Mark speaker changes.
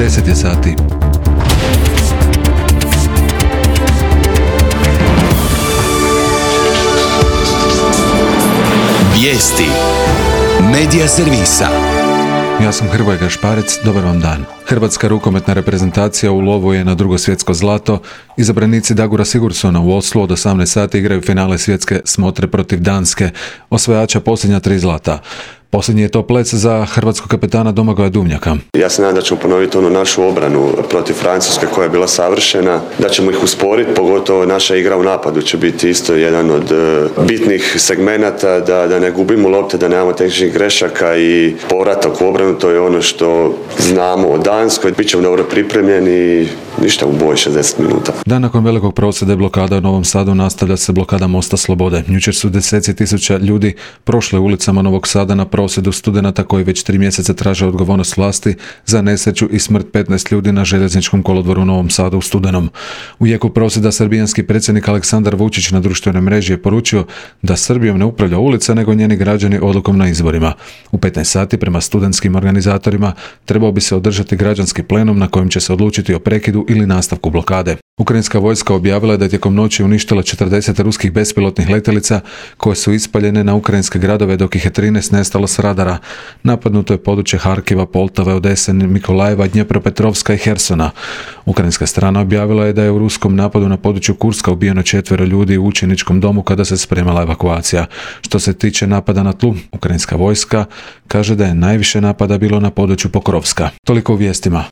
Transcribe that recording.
Speaker 1: 10 je sati.
Speaker 2: Vijesti Medija servisa.
Speaker 1: Ja sam Hrvoje Gašparec, dobar vam dan. Hrvatska rukometna reprezentacija u lovu je na drugo svjetsko zlato. Izabranici Dagura Sigurdsona u Oslu od 18 sati igraju finale svjetske smotre protiv Danske, osvajača posljednja 3 zlata. Posljednji je to plec za hrvatskog kapetana Domagoja Duvnjaka.
Speaker 3: Ja se nadam da ćemo ponoviti onu našu obranu protiv Francuske koja je bila savršena, da ćemo ih usporiti, pogotovo naša igra u napadu će biti isto jedan od bitnih segmenata, da ne gubimo lopte, da nemamo tehničkih grešaka i povratak u obranu, to je ono što znamo o Danskoj. Bićemo dobro pripremljeni i ništa u boji 60 minuta.
Speaker 1: Dan nakon velikog prosvjeda i blokada u Novom Sadu nastavlja se blokada Mosta Slobode. Jučer su deseci tisuća ljudi prošle ulicama Novog Sada na prosvjedu studenata koji već 3 mjeseca traže odgovornost vlasti za nesreću i smrt 15 ljudi na željezničkom kolodvoru u Novom Sadu u studenom. U jeku prosvjeda srbijanski predsjednik Aleksandar Vučić na društvenoj mreži je poručio da Srbijom ne upravlja ulica nego njeni građani odlukom na izborima. U 15 sati prema studentskim organizatorima trebao bi se održati građanski plenum na kojem će se odlučiti o prekidu ili nastavku blokade. Ukrajinska vojska objavila je da je tijekom noći uništila 40 ruskih bespilotnih letjelica koje su ispaljene na ukrajinske gradove, dok ih je 13 nestalo s radara. Napadnuto je područje Harkiva, Poltave, Odese, Mikolajeva, Dnjepropetrovska i Hersona. Ukrajinska strana objavila je da je u ruskom napadu na području Kurska ubijeno 4 ljudi u učeničkom domu kada se spremala evakuacija. Što se tiče napada na tlu, ukrajinska vojska kaže da je najviše napada bilo na području Pokrovska. Toliko u vijestima.